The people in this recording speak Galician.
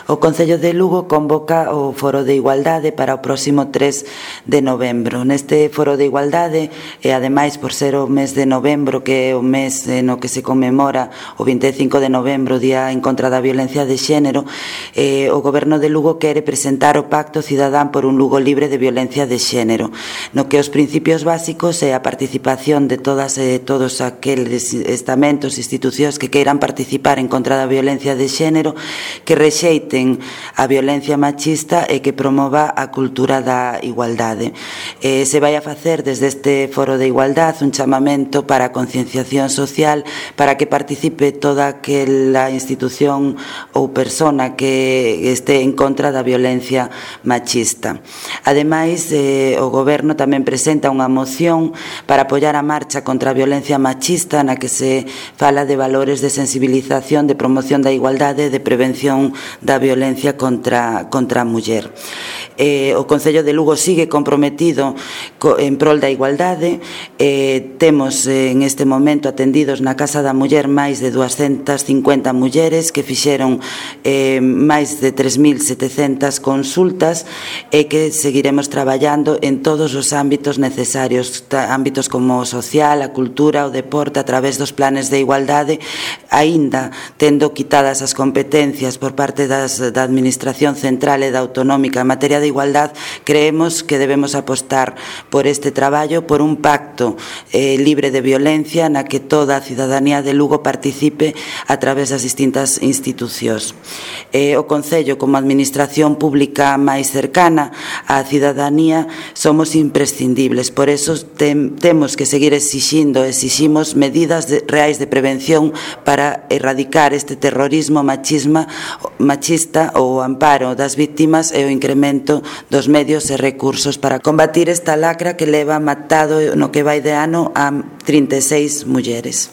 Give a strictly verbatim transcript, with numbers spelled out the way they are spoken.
O Concello de Lugo convoca o Foro de Igualdade para o próximo tres de novembro. Neste Foro de Igualdade, e ademais por ser o mes de novembro, que é o mes no que se conmemora o vinte e cinco de novembro, Día en contra da Violencia de Xénero, eh, o Goberno de Lugo quere presentar o Pacto Cidadán por un Lugo libre de violencia de xénero, no que os principios básicos é a participación de todas e todos aqueles estamentos, institucións que queiran participar en contra da violencia de xénero, que rexeiten a violencia machista e que promova a cultura da igualdade. Eh, se vai a facer desde este Foro de Igualdade un chamamento para a concienciación social, para que participe toda aquela institución ou persona que este en contra da violencia machista. Ademais, eh, o Goberno tamén presenta unha moción para apoiar a marcha contra a violencia machista, na que se fala de valores de sensibilización, de promoción da igualdade, de prevención da violencia contra, contra a muller. Eh, o Concello de Lugo sigue comprometido co, en prol da igualdade. Eh, temos eh, en este momento atendidos na Casa da Muller máis de doscientas cincuenta mulleres que fixeron eh, máis de tres mil setecentas consultas e que seguiremos traballando en todos os ámbitos necesarios, ámbitos como o social, a cultura, o deporte, a través dos planes de igualdade, aínda tendo quitadas as competencias por parte das, da Administración Central e da Autonómica en materia de igualdade. Creemos que debemos apostar por este traballo, por un pacto eh, libre de violencia na que toda a cidadanía de Lugo participe a través das distintas institucións. Eh, o Concello, como administración pública máis cercana á cidadanía, somos imprescindibles. Por eso tem, temos que seguir exixindo, exiximos medidas de, reais de prevención para erradicar este terrorismo machisma, machista, o amparo das víctimas e o incremento dos medios e recursos para combatir esta lacra que leva matado no que vai de ano a trinta e seis mulleres.